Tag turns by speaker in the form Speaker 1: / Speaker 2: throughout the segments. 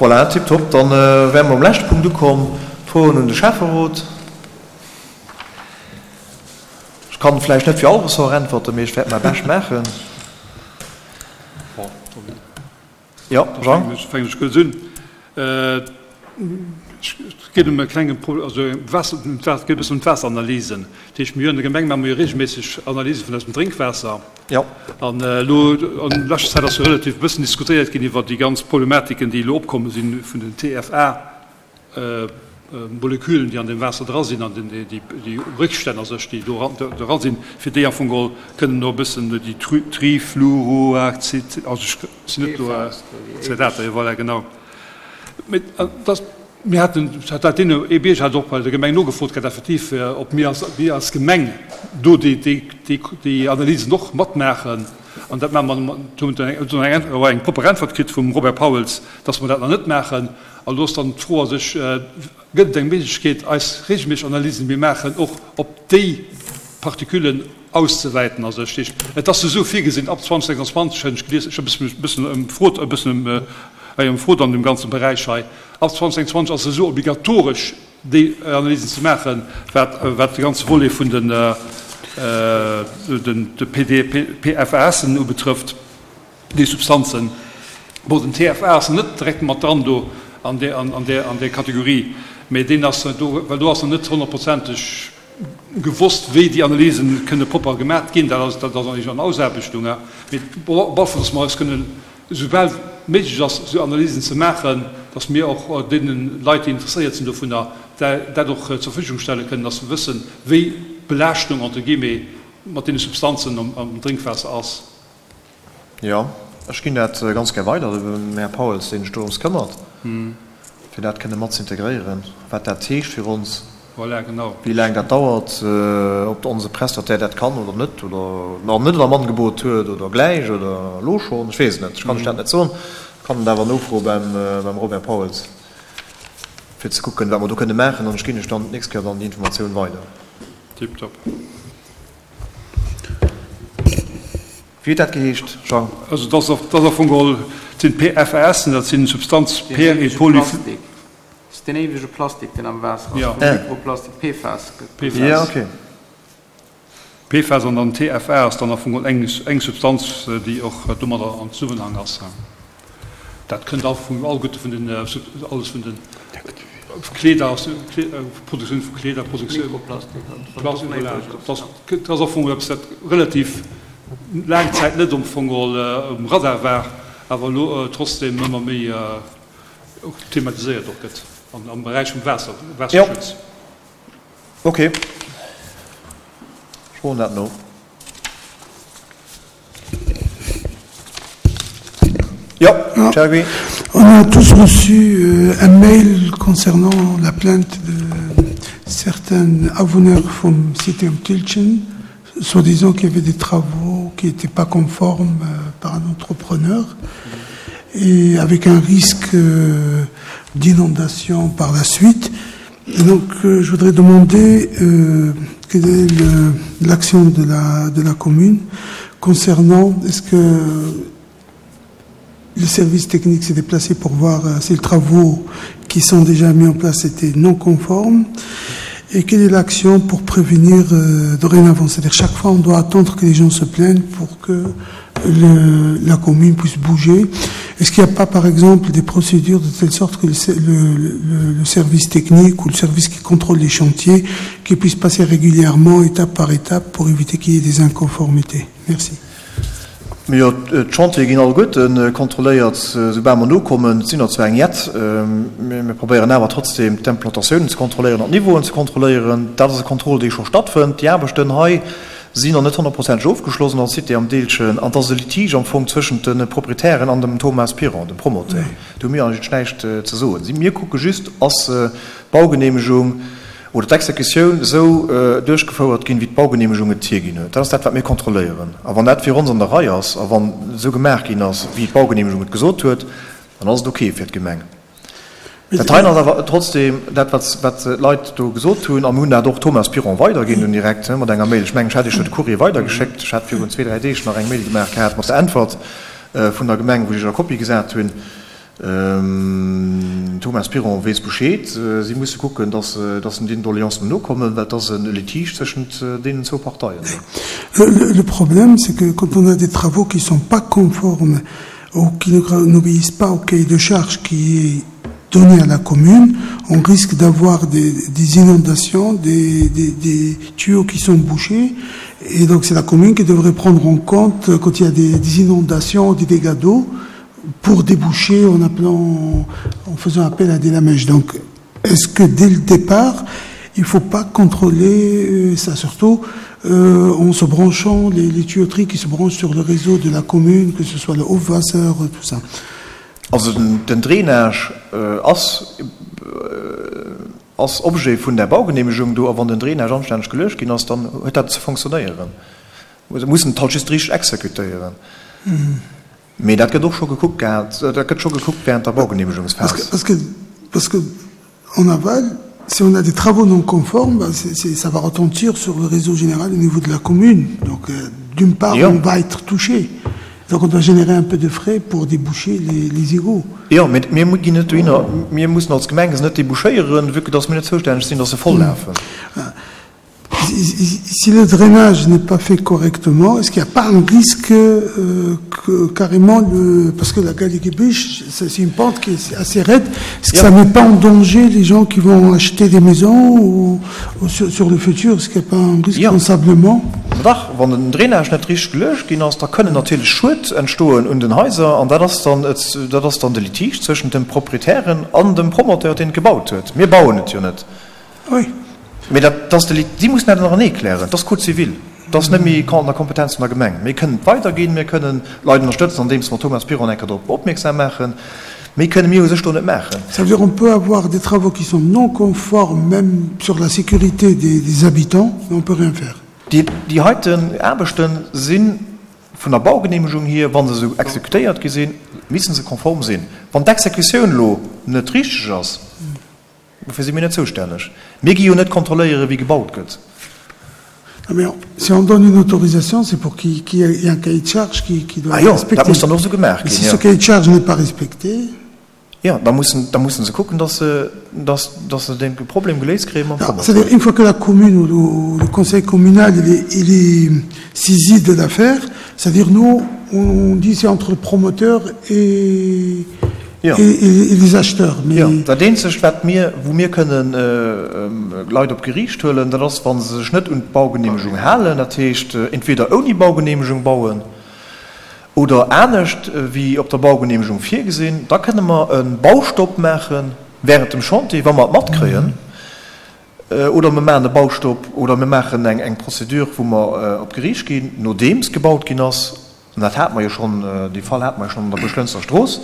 Speaker 1: Voilà, tiptop. Dann wäre mer um leschte Punkt ukomm, d'Froen un de Schäfferot. Ech kann vläicht net fir all Ressort äntwerten, mee ech wäert mäi Bescht maachen.
Speaker 2: Jo, Jean? Ech fänken ech kuerz un. Et geet ëm e klenge Pro-, also Waasser, et geet e bëssen ëm d'Waasseranalysen. Dat heescht, mir hunn an der Gemeng maache mer jo reegelméisseg Analyse vun eisem Drénkwaasser.
Speaker 1: Jo.
Speaker 2: An elo an leschter Zäit ass jo relativ e bëssen diskutéiert ginn iwwer déi ganz Problematiken, déi elo opkomme sinn vun den TFA. Molekülen, déi an deem Waasser dra sinn, an déi Réckstänn a sech, déi do dra sinn, fir déi am Fong geholl kënnen do e bëssen déi Trifluoroacid, also ech sinn net do, Zetater, jo voilà, genau. Mee dass, mir haten, dat deen ee Bierger hat och bei der Gemeng nogefrot gehat effektiv, ob mir als, mir als Gemeng do déi, déi, déi Analysen och matmaachen. An dat maache mer, do hunn mer eng propper Äntwert kritt vum Robert Pauls, dass mer dat nach net maachen. An do ass dann d'Fro a sech, Gëtt et eng Méiglechkeet, eis reegelméisseg Analysen, déi mir maachen, och op déi Partiküllen auszewäiten a sech? Dat heescht, et ass esou virgesinn, ab 2026, hunn ech gelies, ech hu e bëssen ëmfrot, e bëssen ëmfrot an deem ganze Beräich hei, ab 2026 ass et esou obligatoresch, déi Analysen ze maachen, wat wat de ganze Volet vun den de PD, PFASen ubetrëfft. Déi Substanzen, bon, den TFA ass net direkt mat dran do an där, an där, an där Kategorie, mä deen ass do, well do ass nach net honnertprozenteg gewosst, wéi déi Analysen kënne propper gemat ginn. Dat ass, dat ass nach an Ausaarbechtung, mee bon, op alle Fall, dass mer eis kënnen, esoubal méiglech ass, esou Analysen ze maachen, dass mir och deene Leit, déi interesséiert sinn dovunner, dat och zur Verfügung stelle kënnen, dass se wëssen, wéi d'Belaaschtung entre guillemets mat deene Substanzen am Drénkwaasser ass.
Speaker 1: Jo, ech ginn dat ganz gär weider dem Här Pauls, deen sech dorëms këmmert, fir dat kënne mat ze integréieren, wat dat heescht fir ons, wéi laang dat dauert, ob onse Prestataire dat kann oder net oder nach net am Angebot huet oder gläich oder elo schonn, ech weess et net, ech kann lech dat net soen, kann et awer nofroe beim Robert Pauls, fir ze kucken, wat mer do kënne maachen, an ech ginn lech dann d'nächst Kéier dann déi Informatioun weider.
Speaker 2: Tiptop.
Speaker 1: Wéi huet dat geheescht, Jean?
Speaker 2: Also dat ass dat ass am Fong geholl, dat sinn PFASen, dat sinn Substanz per et poly.
Speaker 3: Dat ass deen éiwege Plastik, deen am Waasser ass, wou Mikroplastik, PFAS gëtt.
Speaker 2: PFAS. Ja, okay. PFAS an dann TFA ass dann am Fong geholl eng eng Substanz, déi och domadder am Zesummenhang ass. Dat kënnt all vun alleguerte vun den alles vun den Kleeder, Produktioun vu Kleeder, Produktioun Plastik, voilà. Dat ass am Fong eppes, wat relativ laang Zäit net am Fong um Radar war, awer elo trotzdem ëmmer méi och thematiséiert och gëtt am Beräich vum Waasser, Waasserschutz.
Speaker 1: Jo, okay. Ech froen dat no.
Speaker 4: On a tous reçu euh, un mail concernant la plainte de certains avonneurs from City of Tilchen, soi-disant qu'il y avait des travaux qui n'étaient pas conformes euh, par un entrepreneur et avec un risque euh, d'inondation par la suite. Et donc euh, je voudrais demander euh, quelle est l'action de la, de la commune concernant est-ce que le service technique s'est déplacé pour voir euh, si les travaux qui sont déjà mis en place étaient non conformes et quelle est l'action pour prévenir euh, dorénavant c'est-à-dire chaque fois on doit attendre que les gens se plaignent pour que le, la commune puisse bouger est-ce qu'il n'y a pas par exemple des procédures de telle sorte que le, le, le, le service technique ou le service qui contrôle les chantiers qui puisse passer régulièrement étape par étape pour éviter qu'il y ait des inconformités merci
Speaker 1: Jo, d'Chantiere ginn alleguerte kontrolléiert, soubal mer nokommen. Et sinn der zwar eng jett, mee mir probéieren awer trotzdem d'Implantatiounen ze kontrolléieren an d'Niveauen ze kontrolléieren. Dat ass e Contrôle, dee scho stattfënnt. Déi Aarbechten hei sinn nach net honnertprozenteg ofgeschloss an der Cité am Deelchen an et ass e Litige am Fong zwëschent de Proprietären an dem Thomas Piron, dem Promoteur. Do hu mir eigentlech näischt ze soen. Mir kucke just, ass d'Baugeneemegung, oder d'Exekutioun esou duerchgefouert ginn, wéi d'Baugeneemegung et hierginn huet. Dat ass dat, wat mir kontrolléieren. A wann dat fir ons an der Rei ass a wann esou gemaach ginn ass, wéi d'Baugeneemegung et gesot huet, dann ass et ok fir d'Gemeng. Dat heien ass awer trotzdem dat, wat wat d'Leit do gesot hunn. A mir hunn dat och Thomas Piron weiderginn dunn direkt mat enger Mail. Ech mengen, ech hat Iech jo de Courrier weidergeschéckt. Ech hat virun zwee, dräi Deeg nach eng Mail gemaach gehat mat der Äntwert vun der Gemeng, wou ech Iech a Kopie gesat hunn. Den Thomas Piron weess Bescheed. Si musse kucken, datt se deenen Doleancen nokommen, well et ass e Litige tëschent deenen zwou Parteien.
Speaker 4: Le problème, c'est que quand on a des travaux qui sont pas conformes ou qui n'obéissent pas au cahier de charges qui est donné à la commune, on risque d'avoir des, des inondations, des, des, des tuyaux qui sont bouchés. Et donc c'est la commune qui devrait prendre en compte quand il y a des, des inondations, des dégâts d'eau, pour déboucher en appelant, en faisant appel à des lamèches. Donc est-ce que dès le départ, il faut pas contrôler euh, ça surtout euh, en se branchant les, les tuyauteries qui se branchent sur le réseau de la commune, que ce soit le Haut-Vasseur, tout ça.
Speaker 1: Also den, den Drainage äh, ass äh, ass Objet vun der Baugenehmegung do, a wann den Drainage anstänneg geluecht ginn ass, dann huet dat ze fonctionnéieren. Se mussen et halt just richteg exekutéieren. Mm. Mee dat gëtt och scho gekuckt gehat, dat gëtt scho gekuckt während der Baugenehmegungsphas.
Speaker 4: Parce que, parce que en aval, si on a des travaux non conformes, ben c'est, c'est, ça va retentir sur le réseau général au niveau de la commune. Donc euh, d'une part, jo. on va être touché. Donc on doit générer un peu de frais pour déboucher les, les égouts.
Speaker 1: Jo, mee mir ginn net dohinner, mir mussen als Gemeng se net débouchéieren, vue que dass mir net zoustänneg sinn, dass se voll lafen.
Speaker 4: Si le drainage n'est pas fait correctement, est-ce qu'il n'y a pas un risque euh, que carrément le, parce que la Galiguebuche, c'est une pente qui est assez raide, est-ce que ça met pas en danger les gens qui vont acheter des maisons ou, ou sur, sur le futur, est-ce qu'il n'y a pas un risque
Speaker 1: ja.
Speaker 4: d'ensablement?
Speaker 1: Dach, wann den Drainage net richteg geluecht ginn ass, da kënnen natierlech Schued entstoen un den Haiser an dat ass dann, dat ass dann de Litige zwëschent dem Proprietären an dem Promoteur, deen et gebaut huet. Mir bauen et jo net.
Speaker 4: Oui.
Speaker 1: Mee dat ass de Lit, si mussen dat ënnerenee klären. Dat ass Code civil. Dat ass net méi an der Kompetenz vun der Gemeng. Mir kënnen et weiderginn, mir kënnen d'Leit ënnerstëtzen, andeems mer Thomas Piron eng Kéier drop opmierksam maachen. Méi kënne mir u sech do net maachen.
Speaker 4: Ça veut dire on peut avoir des travaux qui sont non conformes même sur la sécurité des, des habitants, mais on peut rien faire.
Speaker 1: Déi, déi heiten Aarbechte si vun der Baugenehmegung hier, wa se esou exekutéiert gi sinn, missen se konform sinn. Wann d'Exekutioun elo net richteg ass, Dofir si mir net zoustänneg. Mir gi jo net kontrolléieren, wéi gebaut gëtt.
Speaker 4: Mais si on donne une autorisation, c'est pour qu'il y ait un cahier de charge qui, qui doit
Speaker 1: ah,
Speaker 4: être respecté.
Speaker 1: Dat muss dann och esou gemaach ginn.
Speaker 4: Si ce cahier de charge n'est pas respecté.
Speaker 1: Jo, da mussen, da mussen se kucken, dass se, dass, dass se dee Problem geléist kréie mam
Speaker 4: Promoteur. C'est-à-dire, une fois que la commune ou le, le conseil communal il est, il est saisi de l'affaire, c'est-à-dire nous, on dit c'est entre le promoteur et
Speaker 1: Jo.
Speaker 4: Et les acheteurs, mais.
Speaker 1: Jo, dat eenzegt wat mir, wou mir kënnen Leit op d'Geriicht huelen, dat ass wa se sech net un d'Baugenehmegung halen, dat heescht entweder ouni Baugenehmegung bauen oder anescht wéi op der Baugenehmegung virgesinn, da kënne mer e Baustopp maache während dem Chantier, wa mer et matkréien, oder mer maachen e Baustopp oder mir maachen eng Procédure wou mer op d'Geriicht ginn, nodeems gebaut ginn ass. An dat hate mer jo schonn, dee Fall hate mer jo schonn an der Buerglënster Strooss,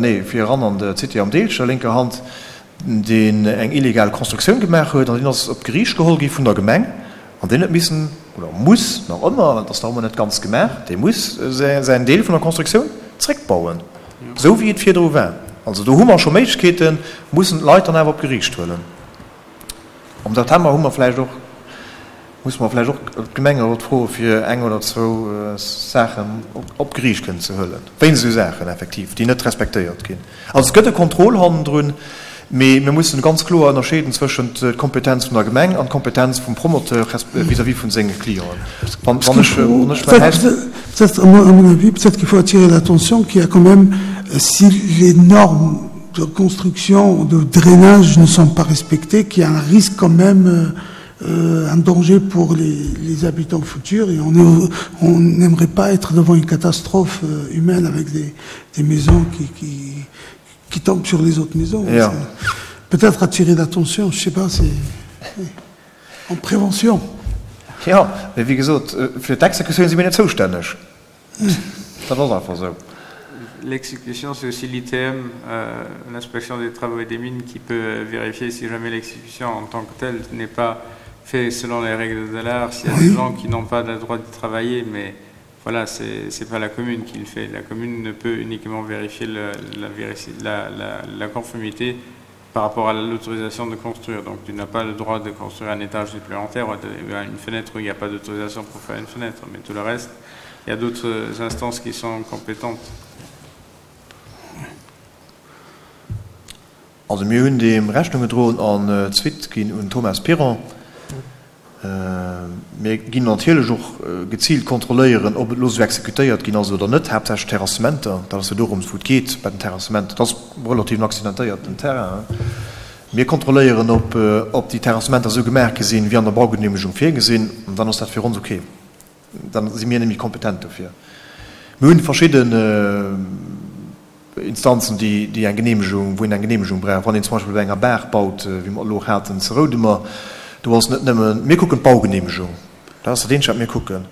Speaker 1: nee, fir eran an d'Cité am Deelcher, lénker Hand, deen eng illegal Constructioun gemaach huet an deen ass op d'Geriicht geholl gi vun der Gemeng an deen huet missen, oder muss nach ëmmer, et ass nach ëmmer net ganz gemaach, dee muss säin Deel vun der Constructioun zréckbauen, esou wéi et virdru war. Also do hu mer scho Méiglechkeeten, mussen d'Leit dann awer op d'Geriicht huelen. Am September hu mer vläicht och, musse mer vläicht och d'Gemengerot froe fir eng oder zwou Saachen op d'Geriicht kënnen ze huelen, wéinst esou Saachen effektiv, déi net respektéiert ginn. Also et gëtt e Contrôle hannendrun, mee mir mussen ganz kloer ënnerscheeden zwëschent d'Kompetenz vun der Gemeng an d'Kompetenz vum Promoteur vis-à-vis vun senge Clienten. Wann ech, wann ech mäin Haus.
Speaker 4: Peut-être, à mon avis, peut-être qu'il faut attirer l'attention qu'il y a quand même, si les normes de construction, de drainage ne sont pas respectées, qu'il y a un risque quand même, euh, un danger pour les, les habitants futurs et on est, on n'aimerait pas être devant une catastrophe euh, humaine avec des, des maisons qui, qui, qui tombent sur les autres maisons.
Speaker 1: Ja.
Speaker 4: Peut-être attirer l'attention, je sais pas, c'est en prévention.
Speaker 1: Ja, mee wéi gesot, fir d'Exekutioun si mir net zoustänneg. Dat ass einfach esou.
Speaker 3: L'exécution, c'est aussi l'ITM, euh, l'inspection des travaux et des mines, qui peut vérifier si jamais l'exécution en tant que telle n'est pas faite selon les règles de l'art, s'il y a des gens qui n'ont pas le droit de travailler, mais voilà, c'est pas la commune qui le fait. La commune ne peut uniquement vérifier le, la, la, la, la conformité par rapport à l'autorisation de construire. Donc tu n'as pas le droit de construire un étage supplémentaire ou une fenêtre où il n'y a pas d'autorisation pour faire une fenêtre, mais tout le reste, il y a d'autres instances qui sont compétentes.
Speaker 1: Also mir hunn deem Rechnung gedroen an d'Suite ginn un Thomas Piron. Mir ginn natierlech och geziilt kontrolléieren, ob et elo esou exekutéiert ginn ass oder net, haaptsächlech d'Terrassementer. Dat ass jo dorëms, wou et geet bei den Terrassementer. Dat ass relativ en accidentéierten Terrain. Mir kontrolléieren, ob déi Terrassementer esou gemaach gi sinn, wéi an der Baugeneemegung virgesinn. An dann ass dat fir ons ok. Dann si mir net méi kompetent dofir. Mir hunn verschidden Instanzen, déi eng Geneemegung, wou een eng Geneemegung brauch. Wann een zum Beispill bei enger Baach baut, wéi mer elo och haten zu Roudemer, do ass net nëmmen, mir kucken d'Baugeneemegung, dat ass dat eenzegt, wat mir kucken.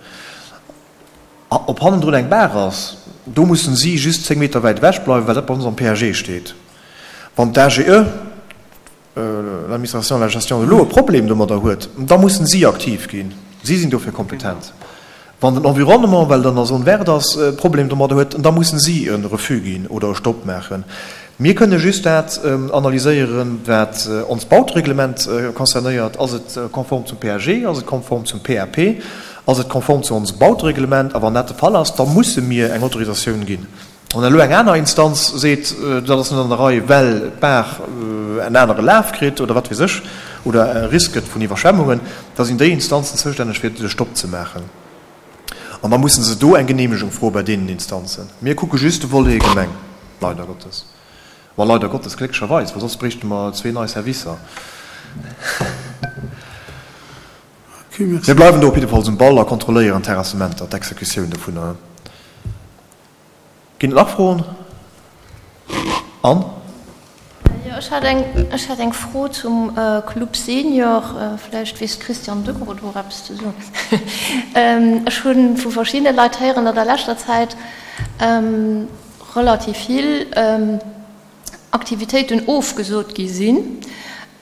Speaker 1: Ob hannendrun eng Baach ass, do mussen si just 10 Meter wäit ewech bleiwen, well dat bei ons am PAG steet. Wann d'AGE, l'administration de la gestion de l'eau e Problem domadder huet, da mussen si aktiv ginn. Si sinn dofir kompetent. Wann den Environnement, well et an der Zone verte ass, e Problem domadder huet, da mussen si e Refus ginn oder e Stopp maachen. Mir kënne just dat analyséieren, wat onst Bautereglement concernéiert. Ass et konform zum PAG? Ass et konform zum PAP? Ass et konform zu onsem Bautereglement? A wann dat de Fall ass, da musse mir eng Autorisatioun ginn. Wann elo eng aner Instanz seet, dat ass net an der Rei, well d'Baach en anere Laf kritt oder wat weess ech, oder e Risk gëtt vun Iwwerschwemmungen, da sinn déi Instanzen zoustänneg fir de Stopp ze maachen. An da musse se do eng Geneemegung froe bei deenen Instanzen. Mir kucke just de Volet Gemeng, leider Gottes. Ma leider Gottes, glécklecherweis, well soss bréichte mer zwee nei Servicer. Mir bleiwen do op jiddefalls um Ball a kontrolléieren d'Terrassementer, d'Exekutioun dovunner. Ginn et nach Froen? Anne?
Speaker 5: Jo, ech hat eng, ech hat eng Fro zum Club Senior. Vläicht weess d'Christiane Degraux do och eppes ze soen. Ech hu vu verschiddene Leit héieren, datt a leschter Zäit relativ vill Aktivitéiten ofgesot gi sinn.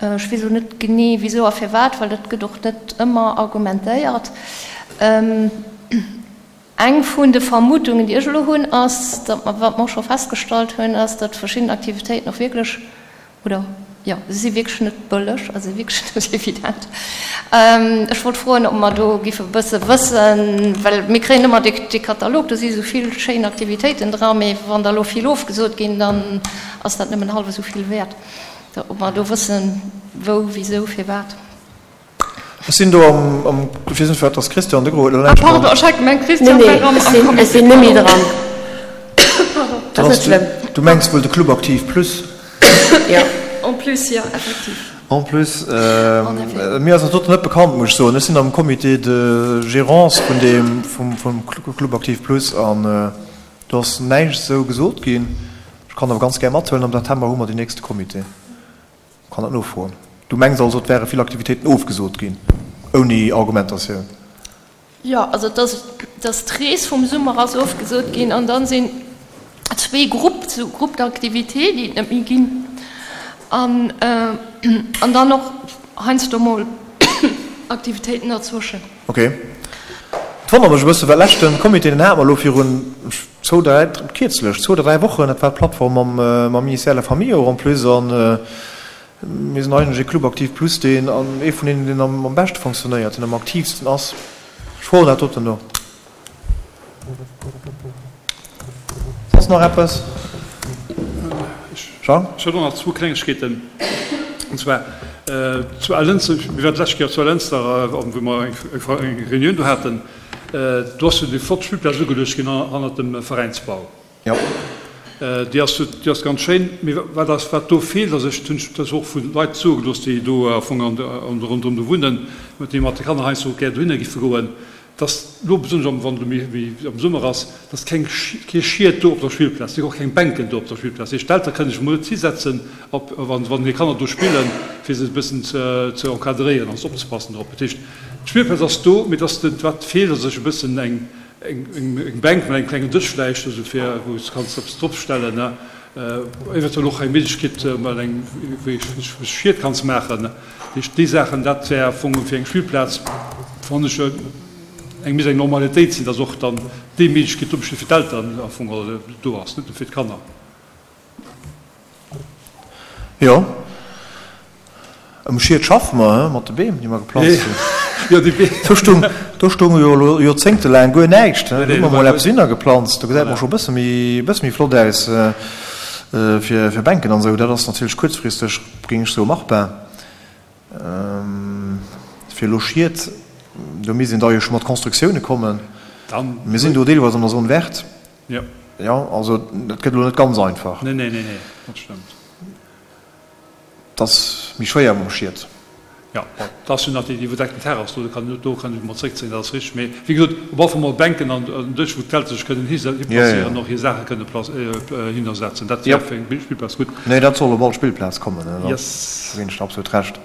Speaker 5: Ech weess elo net genee wisou a firwat, well dat gëtt och net ëmmer argumentéiert. Eng vun de Vermutungen, déi ech elo hunn, ass, datt mer, wat mer och scho festgestallt hunn, ass, datt verschidden Aktivitéiten och wierklech, oder jo, se si wierklech net bëlleg a se si wierklech net evident. Ech wollt froen, ob mer do giffe e bësse wëssen, well mir kréien ëmmer dee, dee Katalog, do si esou vill schéin Aktivitéiten dra, mee wann der elo vill ofgesot ginn, dann ass dat nëmmen hallef esou vill wäert. Ob mer do wëssen, wou, wisou, firwat.
Speaker 1: Ech sinn do am, ech weess net, wat ass Christian de Gros huet elo
Speaker 5: näischt dran. Ah pardon, ech hat gemengt Christian wär am Comité.
Speaker 6: Nee, ech sinn net méi dran. Dat ass net schlëmm.
Speaker 1: Du mengs wuel de Club Aktiv Plus?
Speaker 5: Jo. En plus, jo, effektiv.
Speaker 1: En plus. Mir ass dat doten net bekannt, muss ech soen. Ech sinn am Comité de gérance vun deem, vum Club Aktiv Plus an do ass näischt esou gesot ginn. Ech kann awer ganz gär mathuelen, am September hu mer deen nächste Comité. Kann dat nofroen. Du mengs also, et wäre vill Aktivitéiten ofgesot ginn, ouni Argumentatioun?
Speaker 5: Jo, also et ass, dass d'Rees vum Summer ass ofgesot ginn an dann sinn zwee Grupp, sou Groupes d'activités, déi et net méi ginn an an dann och heiansdo mol Aktivitéiten derzwëschen.
Speaker 1: Ok. Et wonnert mech e bëssen, well leschten Comité, deen hate mer elo virun zwou, dräi, kierzlech, zwou oder dräi Wochen, dat war d'Plattform mam, mam Ministère de la Famille och en plus, an mir sinn eigentlech ee Club Aktiv Plus, deen, an ee vun deenen, deen am, am beschte fonctionnéiert, deen am aktiivsten ass. Ech froen dat doten no. Soss nach eppes?
Speaker 2: Jean? Ech hätt och nach zwou Klengegkeeten. An zwar zu Allënster, mir waren d'lescht Kéier zu Allënster, wou mer eng Reunioun do haten, do ass jo déi flott Spillplaz ugeluecht ginn hannert dem Veräinsbau.
Speaker 1: Jo.
Speaker 2: Déi ass, déi ass ganz schéin. Mee wat ass, wat do feelt, ass, ech hunn dat och vu Leit soe gelooss, déi do am Fong an ronderëm do wunnen, déi mat de Kanner heiansdo gär dohinner giffe goen, dass elo besonnesch am wann elo méi am Summer ass, dass keng kee Schied do op der Spillplaz, si och keng Bänken do op der Spillplaz. Dat heescht d'Eltere kënnen sech emol net hisetzen op wann wann hir Kanner do spillen, fir se e bëssen ze ze encadréieren an opzepassen drop. Dat heescht d'Spillplaz ass do, mee dass de wat feelt ass sech e bëssen eng eng eng Bänk mat engem klengen Dësch vläicht, esou fir wou s de kanns eppes dropstellen, ne, eventuell och eng Méiglechkeet mat engem wéi wou s Schied kanns maachen. Heescht, déi Saachen, dat wär am Fong fir eng Spillplaz, fannen ech, eng misst eng Normalitéit sinn, dass och dann déi Méiglechkeet do besteet fir d'Elteren am Fong do ass, net nëmme fir d'Kanner.
Speaker 1: Jo, um Schied schaffe mer, he, mat de Beem, déi mer geplanzt hunn.
Speaker 2: Jo, déi Beem.
Speaker 1: Do stung, do stung jo elo joerzéngtelaang guer näischt, he. Do hu mer mol eppes hinnergeplanzt, do gesäit mer scho e bësse méi, e bësse méi flott aus. Fir Bänken an esou, dat ass natierlech kuerzfristeg, géing ech soen, machbar. Fir elo Schied, do misst een da jo scho mat Constructioune kommen. Mir sinn do deelweis an der Zone verte. Jo, also dat gëtt elo net ganz einfach.
Speaker 2: Nee, nee, nee, nee, dat stëmmt.
Speaker 1: Et ass méi schwéier mam Schied.
Speaker 2: Jo, bon, et ass jo nach déi iwwerdeckten Terrass do, do kann do kann ech mol zréckzéien, dat ass richteg. Mee wéi gesot, op alle Fall mol Bänken an en Dësch, wou d'Leit sech kënnen hiplacéieren an och hir Saache kënne hinnersetzen. Dat wär fir eng Spillplaz gutt.
Speaker 1: Nee, dat soll op all Spillplaz kommen, do ginn ech der absolut Recht.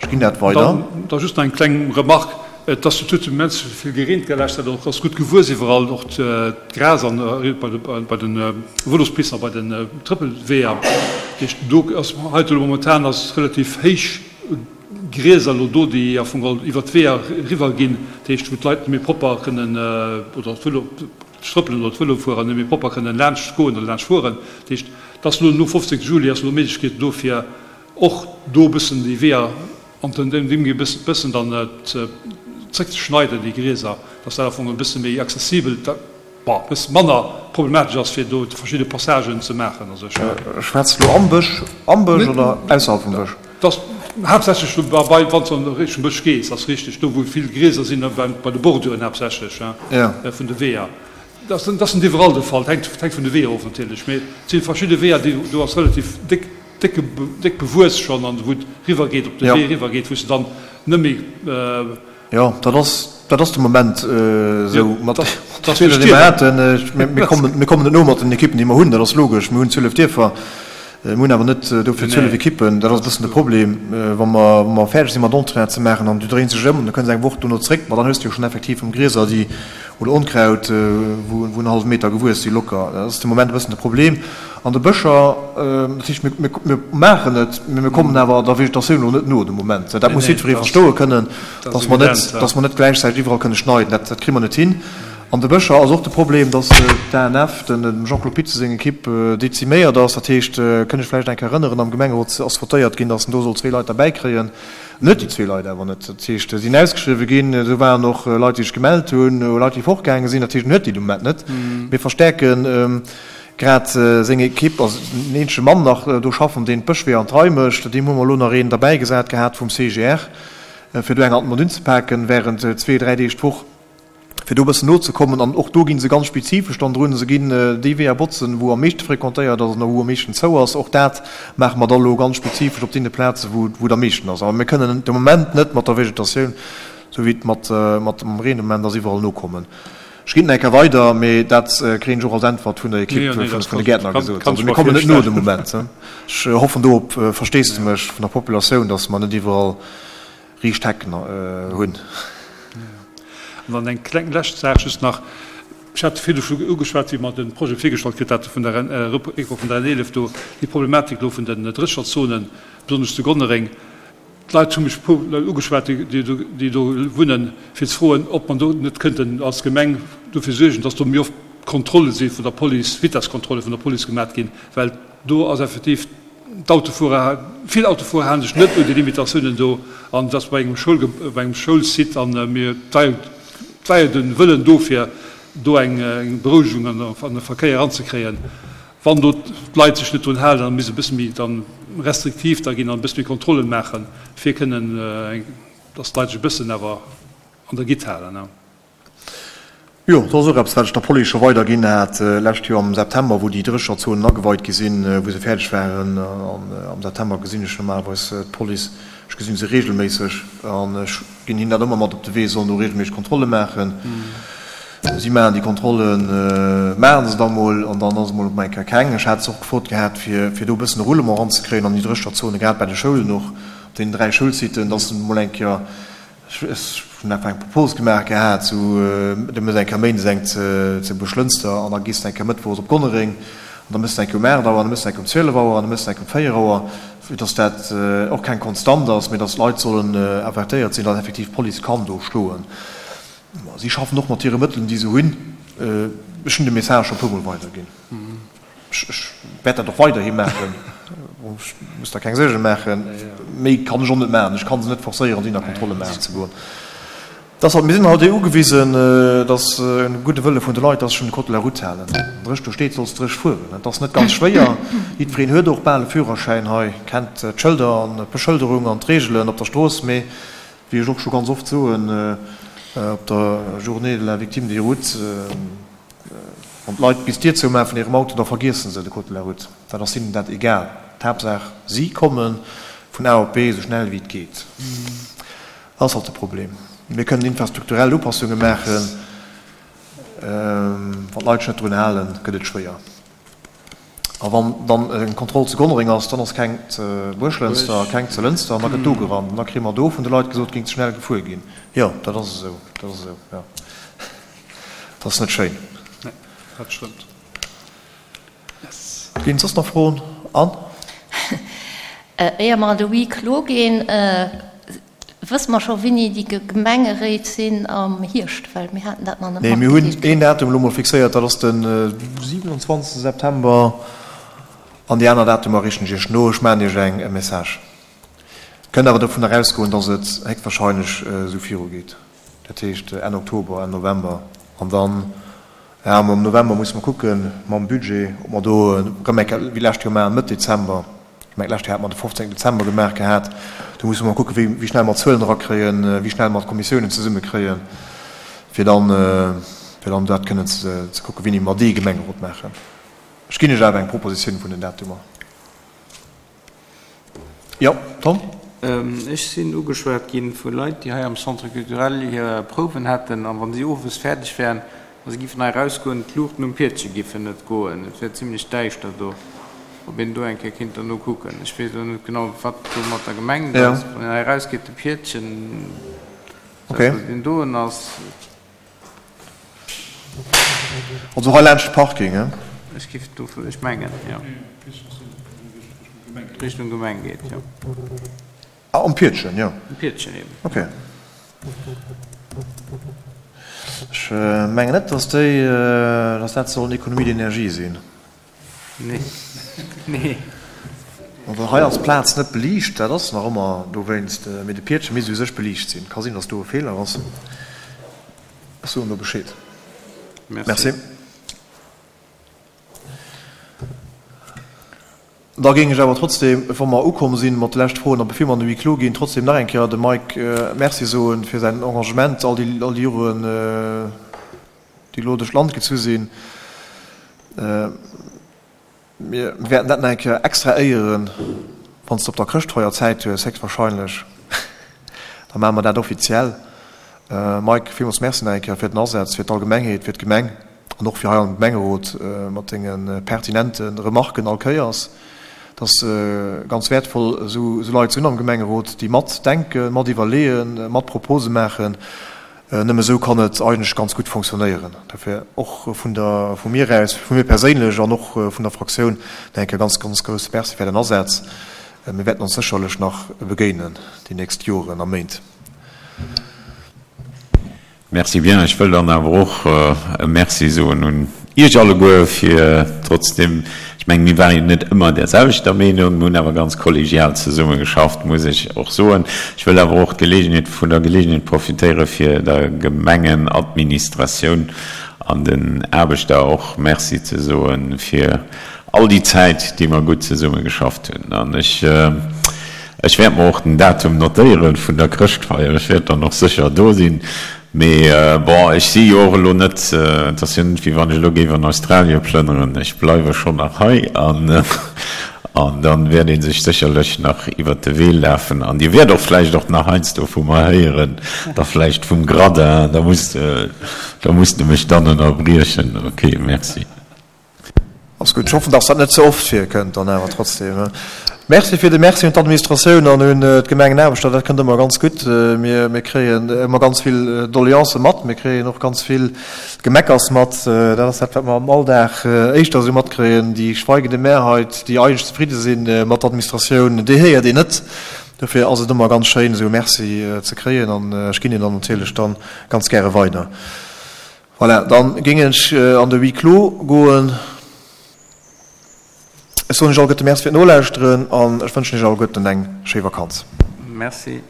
Speaker 1: Ech ginn dat weider.
Speaker 2: Dann da just nach eng kleng Remarque, Et ass jo tout immens vill gereent gelescht, dat och ass gutt gewuess iwwerall, och d'Gras an bei de Vëlospisten a bei den Trëppelweeër. Dat heescht, do ass hei elo momentan ass relativ héich Grieser elo do, déi am Fong geholl iwwert d'Weeër eriwwer ginn, dat heescht, wou d'Leit net méi propper kënnen oder d'Vëlo, d'Trëppelen oder d'Vëlofuerer net méi propper kënnen laanscht goen oder laanscht fueren. Dat heescht, et ass elo no 15 Juli ass elo d'Méiglechkeet do fir och do e bëssen déi Weeër an den deem e bëssen dann zréck ze schneiden, déi Grieser, dass dat am Fong e bësse méi accessibel, bon, e bësse manner problematesch ass, fir do verschidde Passagen ze maachen. Also ech.
Speaker 1: Schwätz du am Bësch, am Bësch oder ausserhalb vum Bësch?
Speaker 2: Dat ass haaptsächlech do bei, wann s du an Richtung Bësch gees, ass richteg, do wou vill Grieser sinn, bei de Borduren haaptsächlech vun de Weeër. Dat ass net iwwerall de Fall, dat hänkt vun de Weeër of natierlech, mee et si verschidde Weeër, déi do ass relativ déck décke déck bewuess schonn an wou et riwwer geet, op de Wee riwwer geet, wou s de dann net méi.
Speaker 1: Jo, dat ass, dat ass de Moment esou mat de Spiller, déi mer haten. Mir kommen, mir kommen net no mat den Ekippen, déi mer hunn, dat ass logesch. Mir hunn 12 Dierfer, mir hunn awer net dofir 12 Ekippen. Dat ass e bëssen de Problem, wa mer, wa mer fäerdeg si mat Entretien ze maachen an du dréins dech ëm an du kënns eng Woch dono zréck, ma dann hues de jo schonn effektiv erëm Grieser, déi Oder Onkraut, wou en hallwe Meter gewuess si locker. Dat ass de Moment e bëssen de Problem an de Bëscher. Dat heescht, mir maachen et, mee mir kommen awer der Vegetatioun elo net no de Moment. Dat muss jiddweree verstoe kënnen, dass mer net, dass mer net gläichzäiteg iwwerall kënne schneiden. Dat kritt mer net hin. An de Bëscher ass och de Problem, dass d'ANF, dem Jean-Claude Pitze seng Ekipp, deziméiert ass. Dat heescht, kënn ech vläicht eng Kéier erënneren, am Gemengerot ass votéiert ginn, dass en do soll zwee Leit derbäikréien. Net déi zwee Leit awer net. Dat heescht, se sinn ausgeschriwwe ginn, do waren och Leit, déi sech gemellt hunn, Leit, déi fortgaange sinn. Dat heescht, en huet déi de Moment net. Mir verstäerke grad seng Ekipp, also en eenzege Mann nach do schaffen, deen d'Bëschweeër an d'Rei mécht. Deem hu mer elo nach een derbäigesat gehat vum CGR, fir do eng Hand mat unzepaken während zwee, dräi Deeg d'Woch. fir do e bëssen nozekommen. An och do gi se ganz spezifesch dann drun. Se ginn déi Weeër botzen, wou am meeschte fréquentéiert ass an wou am meeschten zou ass. Och dat maache mer da lo ganz spezifesch op deene Plazen, wou et am meeschten ass. Awer mir kënnen de Moment net mat der Vegetatioun, esou wéi et mat dem Reen de Moment ass, iwwerall nokommen. Ech ginn et nach eng Kéier weider, mee dat kréien ech och als Äntwert vun der Ekipp vun de Gäertner gesot. Also mir kommen net no de Moment. Ech hoffen do op Versteesdemech vun der Populatioun, datt mer net iwwerall riicht Hecken hunn.
Speaker 2: An dann eng kleng lescht Saach just nach. Ech hat virdu scho ugeschwat, wéi mer de Projet virgestallt kritt hate vun der Réckbau vun der N 11 do, déi Problematik elo vun den Drécherzonen, besonnesch zu Gonnereng. D'Leit hu mech e puer Leit ugeschwat, déi do wunnen, fir ze froen, ob mer do net kënnten als Gemeng dofir suergen, dass do méi oft Kontrolle si vun der Police, Vitesskontrolle vun der Police gemat ginn, well do ass effektiv, D'Autofuerer, vill Autofuerer halen sech net un déi Limitatiounen do an et ass bei engem Schoul, bei engem Schoulsite an mir, et war jo, et war jo de Wëllen do fir do eng Berouegung an de Verkéier eranzekréien. Wann do d'Leit sech net drun halen, da misst e bësse méi dann restriktiv da ginn an e bësse méi Kontrollen maachen, fir kënnen, dass d'Leit sech e bëssen awer an der Gitt halen.
Speaker 1: Jo, dat ass och eppes, wat ech der Police scho weiderginn hat d'lescht Joer am September, wou déi Drécherzonen ageweit gi sinn, wou se fäerdeg waren. An am September gesinn ech normalerweis d'Police, ech gesinn se reegelméisseg an ech ginn hinnen dat ëmmer mat op de Wee, se sollen do reegelméisseg Kontrolle maachen. Si maachen déi Kontrollen, maache se da mol an dann ass emol op eng Kéier keng. Ech hat se och gefrot gehat, fir fir do e bëssen e Roulement eranzekréien an déi Drécherzone, grad bei de Schoulen och, op deenen 3 Schoulsiten, dass se emol eng Kéier, Ech hunn einfach eng Propose gemaach gehat, sou, du méchs eng Kéier méindes eng zu Buerglënster an da gees de eng Kéier mëttwochs op Gonnereng an da méchs de eng Kéier um 8 Auer an da méchs de eng Kéier um 12 Auer an da méchs de eng Kéier um 4 Auer, fir dass dat och keng Konstant ass, mee dass d'Leit sollen avertéiert sinn, dass effektiv d'Police kann do schloen. Si schaffen och mat hire Mëttelen, déi se hunn. Ech hunn de Message scho e puermol weiderginn. Ech wäert dat och weiderhi maachen. Ech muss der keng Suerge maachen. Méi kann ech och net maachen. Ech ka se net forcéieren, dohinner Kontrolle maachen ze goen. Dass halt, mir sinn halt ugewisen, dass e gudde Wëlle vun de Leit, dass sech un de Code de la route halen. Wann dréch do steet, solls dréch fueren. Et ass net ganz schwéier. Jiddwereen huet och bal e Führerschäin hei, kennt d'Schëlder an d'Beschëlderung an d'Reegelen op der Strooss. Mee wéi ech och scho ganz oft soen, op der Journée de la victime des routes, wann d'Leit bis d'Dier zoumaachen vun hirem Auto, da vergiessen se de Code de la route. Dat ass hinnen dat egal. D'Haaptsaach, si komme vun A op B esou schnell wéi et geet. Dat ass halt de Problem. Mir kënnen infrastrukturell Upassunge maachen. Wann d'Leit sech net drun halen, gëtt et schwéier. A wann dann eng Kontroll zu Gonnereng ass, dann ass keng zu Buerglënster, keng zu Lënster an da gëtt do gerannt. An da kréie mer do vun de Leit gesot, et géing ze schnell gefuer ginn. Jo, dat ass esou. Dat ass esou, jo. Dat ass net schéin.
Speaker 2: Nee, dat stëmmt.
Speaker 1: Yes. Ginn et soss nach Froen? Anne?
Speaker 5: Éier mer an de Huis clos ginn, wësse mer scho wéini déi Gemengeréit sinn am Hierscht? Well mir haten dat nach net
Speaker 1: Nee, mir hunn
Speaker 5: matgedeelt
Speaker 1: een
Speaker 5: kritt.
Speaker 1: Datum elo mol fixéiert, dat ass de 27 September. An déi aner Datumer riichten ech Iech no. Ech maachen Iech eng e Message. Kënnt awer dovunner ausgoen, datt et héchstwahrscheinlech esou virugeet. Dat heescht Enn Oktober, Enn November. An dann, ja, am November musse mer kucken mam Budget, ob mer do erëm eng Kéier wéi d'lescht Joer maachen, Mëtt Dezember. Ech mengen, d'lescht Joer hate mer de 15 Dezember gemaach gehat. Do musse mer kucken, wéi, wéi schnell mer d'Zuelen erakréien, wéi schnell mer d'Kommissiounen zesummekréien, fir dann, fir dann dat kënnen ze, ze kucken, wéini mer dee Gemengerot maachen. Ech ginn Iech awer eng Propositioun vun den Datumer. Jo, Tom?
Speaker 3: Ech sinn ugeschwat gi vu Leit, déi hei am Centre culturel hir Prouwen hätten, a wa si owes fäerdeg wären a si giffen hei erausgoen, d'Luuchten um Piedche giffen net goen. Et wär zimlech däischter do. Ob een do eng Kéier kéint derno kucken. Ech weess elo net genau, wat do mat der gemengt ass. Wann een hei erausgeet, de Piedchen, dat wou deen doen ass.
Speaker 1: Also hei laanscht de Parking, he?
Speaker 3: Ech giff do, ech mengen, jo. Richtung Gemeng geet, jo.
Speaker 1: Ah, um Piedchen, jo.
Speaker 3: Um Piedchen eben.
Speaker 1: Ok. Ech mengen net, dass déi, dass dat soll en Économie d'énergie sinn.
Speaker 3: Nee. Nee.
Speaker 1: Also hei ass d'Plaz net beliicht, dat ass nach ëmmer dowéinst, mee de Piedche misst u sech beliicht sinn. Ka sinn, dass do e Feeler ass. Ech soen do Bescheed. Merci. Da géing ech awer trotzdem, wa mer ukomm sinn mat de leschte Froen a bevir mer an de Huis clos ginn, trotzdem nach eng Kéier dem Mike Merci soen fir säin Engagement all déi all déi Joren, déi elo duerch d'Land gezu sinn. Mir wäerten dat nach eng Kéier extra éieren, wann s de op der Chrëschtfeier Zäit hues, héchstwahrscheinlech. Da maache mer dat offiziell. Mike, villmools Merci nach eng Kéier fir den Asaz, fir d'Allgemengheet, fir d'Gemeng an och fir hei am Gemengerot mat denge pertinente Remarken all Kéiers. Et ass ganz wäertvoll, esou Leit ze hunn am Gemengerot, déi matdenken, mat iwwerleeën, mat Propose maachen. Nëmme esou kann et eigentlech ganz gutt fonctionnéieren. Dofir och vun der, vu mir aus, vu mir perséinlech an och vun der Fraktioun nach eng Kéier ganz, ganz grousse Merci fir Ären Asaz. Mir wäerten ons sécherlech nach begéinen déi nächst Joren a Méint.
Speaker 7: Merci bien. Ech wëll dann awer och e Merci soen un Iech alleguer fir trotzdem, ech mengen, mir ware jo net ëmmer där selwechter Meenung, mir hunn awer ganz kollegial zesummegeschafft, muss ech och soen. Ech wëll awer och d'Gelegenheet, vun der Gelegenheet profitéiere fir der Gemengenadministratioun an den Aarbechter och Merci ze soe fir all déi Zäit, déi mer gutt zesummegeschafft hunn. An ech, ech wäert mer och den Datum notéiere vun der Chrëschtfeier. Ech wäert dann och sécher do sinn. Mee bon, ech si jo och elo net, et ass jo net, wéi wann ech elo géif an Australie plënneren. Ech bleiwe schonn nach hei an an da wäert ee sech sécherlech nach iwwert de Wee lafen. An Dir wäert och vläicht och nach heiansdo vu mer héieren, da vläicht vum Gradin. Da musst, da musst de mech dann ënnerbriechen. Ok, merci.
Speaker 1: Ass gutt. Ech hoffen, dass dat net ze oft virkënnt dann awer trotzdem. Merci fir de Merci un d'Administratioun an un d'Gemengenaarbechter. Dat kënnt ëmmer ganz gutt. Mir, mir kréien ëmmer ganz vill Doleancë mat. Mir kréien och ganz vill Gemeckers mat. Dat ass dat, wat mer am Alldag éischter esou matkréien. Déi schweigende Mehrheit, déi eigentlech zefridde si mat der Administratioun, déi héiert een net. Dofir ass et ëmmer ganz schéin, esou e Merci ze kréien an ech ginn en dann natierlech dann ganz gäre weider. Voilà, dann géing ech an de Huis clos goen. Ech soen Iech alleguerte Merci fir d'Nolauschteren an ech wënschen Iech alleguerten eng schéi Vakanz.
Speaker 3: Merci.